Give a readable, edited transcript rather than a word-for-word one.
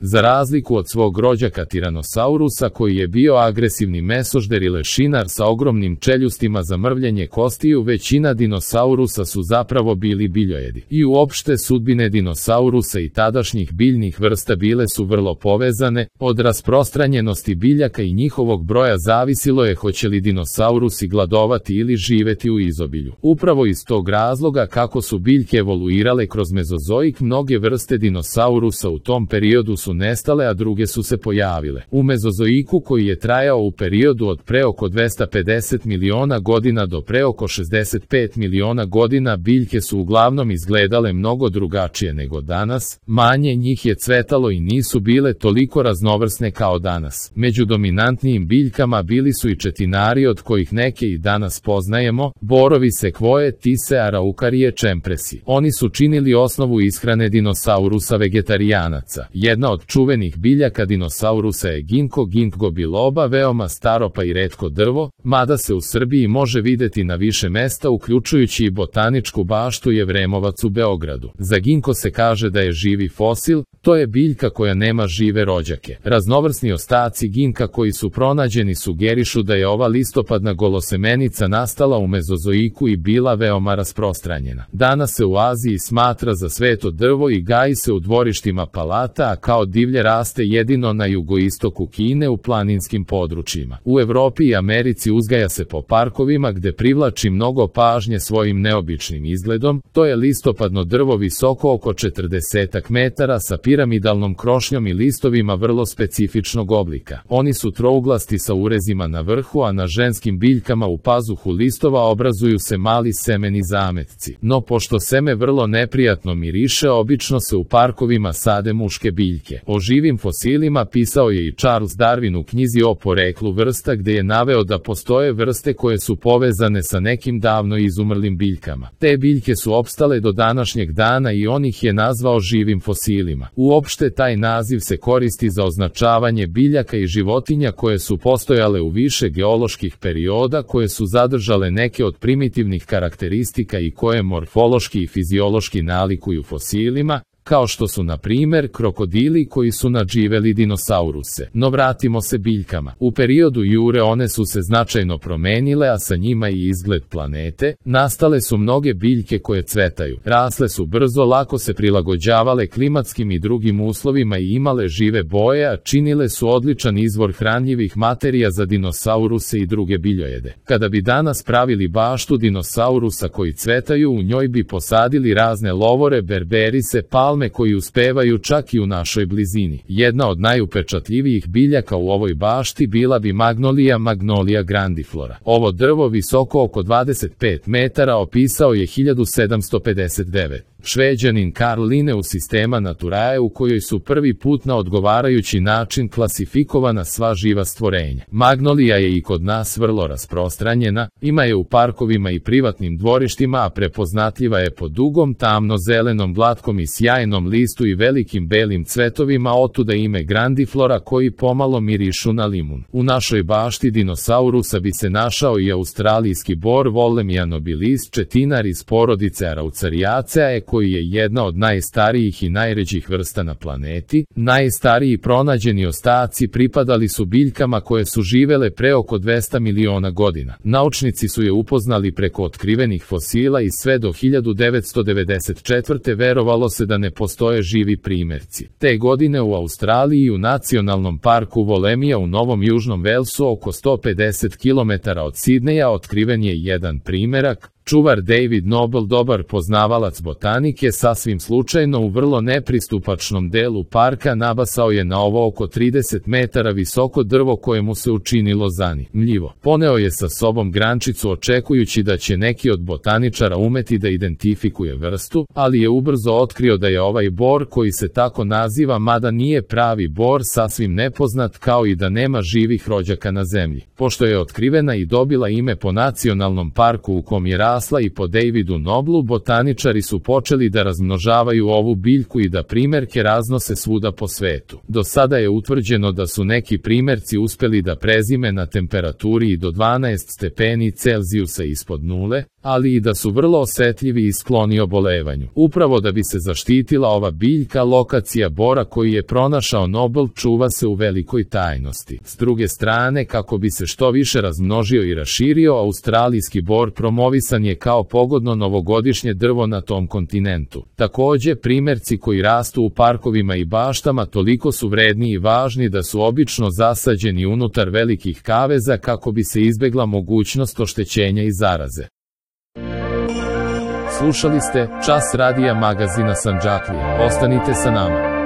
Za razliku od svog rođaka Tiranosaurusa koji je bio agresivni mesožder i lešinar sa ogromnim čeljustima za mrvljenje kostiju, većina dinosaurusa su zapravo bili biljojedi. I uopšte sudbine dinosaurusa i tadašnjih biljnih vrsta bile su vrlo povezane, od rasprostranjenosti biljaka i njihovog broja zavisilo je hoće li dinosaurusi gladovati ili živeti u izobilju. Upravo iz tog razloga kako su biljke evoluirale kroz mezozoik, mnoge vrste dinosaurusa u tom periodu su nestale, a druge su se pojavile. U mezozoiku, koji je trajao u periodu od pre oko 250 miliona godina do pre oko 65 miliona godina, biljke su uglavnom izgledale mnogo drugačije nego danas, manje njih je cvetalo i nisu bile toliko raznovrsne kao danas. Među dominantnijim biljkama bili su i četinari, od kojih neke i danas poznajemo, borovi, sekvoje, tise, araukarije, čempresi. Oni su činili osnovu ishrane dinosaurusa vegetarijanaca. Jedna od čuvenih biljaka dinosaurusa je ginkgo biloba, veoma staro pa i retko drvo, mada se u Srbiji može videti na više mesta, uključujući i botaničku baštu Jevremovac u Beogradu. Za ginko se kaže da je živi fosil, to je biljka koja nema žive rođake. Raznovrsni ostaci ginka koji su pronađeni sugerišu da je ova listopadna golosemenica nastala u mezozoiku i bila veoma rasprostranjena. Danas se u Aziji smatra za sveto drvo i gaji se u dvorištima palata, a kao divlje raste jedino na jugoistoku Kine u planinskim područjima. U Evropi i Americi uzgaja se po parkovima gde privlači mnogo pažnje svojim neobičnim izgledom. To je listopadno drvo visoko oko 40 metara sa piramidalnom krošnjom i listovima vrlo specifičnog oblika. Oni su trouglasti sa urezima na vrhu, a na ženskim biljkama u pazuhu listova obrazuju se mali semeni zametci. No pošto seme vrlo neprijatno miriše, obično se u parkovima sade muške biljke. O živim fosilima pisao je i Charles Darwin u knjizi o poreklu vrsta, gde je naveo da postoje vrste koje su povezane sa nekim davno izumrlim biljkama. Te biljke su opstale do današnjeg dana i on ih je nazvao živim fosilima. Uopšte taj naziv se koristi za označavanje biljaka i životinja koje su postojale u više geoloških perioda, koje su zadržale neke od primitivnih karakteristika i koje morfološki i fiziološki nalikuju fosilima, kao što su na primer krokodili koji su nadživeli dinosauruse. No vratimo se biljkama. U periodu Jure one su se značajno promenile, a sa njima i izgled planete. Nastale su mnoge biljke koje cvetaju. Rasle su brzo, lako se prilagođavale klimatskim i drugim uslovima i imale žive boje, a činile su odličan izvor hranjivih materija za dinosauruse i druge biljojede. Kada bi danas pravili baštu dinosaurusa koji cvetaju, u njoj bi posadili razne lovore, berberise, palme koji uspevaju čak i u našoj blizini. Jedna od najupečatljivijih biljaka u ovoj bašti bila bi Magnolia grandiflora. Ovo drvo visoko oko 25 metara opisao je 1759. Šveđanin Karl Linnaeus Systema Naturae, u kojoj su prvi put na odgovarajući način klasifikovana sva živa stvorenja. Magnolija je i kod nas vrlo rasprostranjena, ima je u parkovima i privatnim dvorištima, a prepoznatljiva je po dugom tamno-zelenom glatkom i sjajnom listu i velikim belim cvetovima, otuda ime grandiflora koji pomalo mirišu na limun. U našoj bašti dinosaurusa bi se našao i australijski bor Wollemia nobilis, četinar iz porodice Araucariaceae, koji je jedna od najstarijih i najređih vrsta na planeti. Najstariji pronađeni ostaci pripadali su biljkama koje su živele pre oko 200 miliona godina. Naučnici su je upoznali preko otkrivenih fosila i sve do 1994. verovalo se da ne postoje živi primerci. Te godine u Australiji u nacionalnom parku Wollemia u Novom Južnom Velsu oko 150 km od Sidneja otkriven je jedan primerak. Čuvar David Noble, dobar poznavalac botanike, sasvim slučajno u vrlo nepristupačnom delu parka nabasao je na ovo oko 30 metara visoko drvo kojemu se učinilo zanimljivo. Poneo je sa sobom grančicu očekujući da će neki od botaničara umeti da identifikuje vrstu, ali je ubrzo otkrio da je ovaj bor, koji se tako naziva mada nije pravi bor, sasvim nepoznat, kao i da nema živih rođaka na zemlji. Pošto je otkrivena i dobila ime po nacionalnom parku u kom je rasla i po Davidu Noblu, botaničari su počeli da razmnožavaju ovu biljku i da primerke raznose svuda po svetu. Do sada je utvrđeno da su neki primerci uspeli da prezime na temperaturi i do 12 stepeni Celzijusa ispod nule, ali i da su vrlo osetljivi i skloni obolevanju. Upravo da bi se zaštitila ova biljka, lokacija bora koji je pronašao Nobel čuva se u velikoj tajnosti. S druge strane, kako bi se što više razmnožio i raširio, australijski bor promovisan je kao pogodno novogodišnje drvo na tom kontinentu. Takođe, primerci koji rastu u parkovima i baštama toliko su vredni i važni da su obično zasađeni unutar velikih kaveza kako bi se izbegla mogućnost oštećenja i zaraze. Slušali ste Čas radija magazina Sandžaklija. Ostanite sa nama.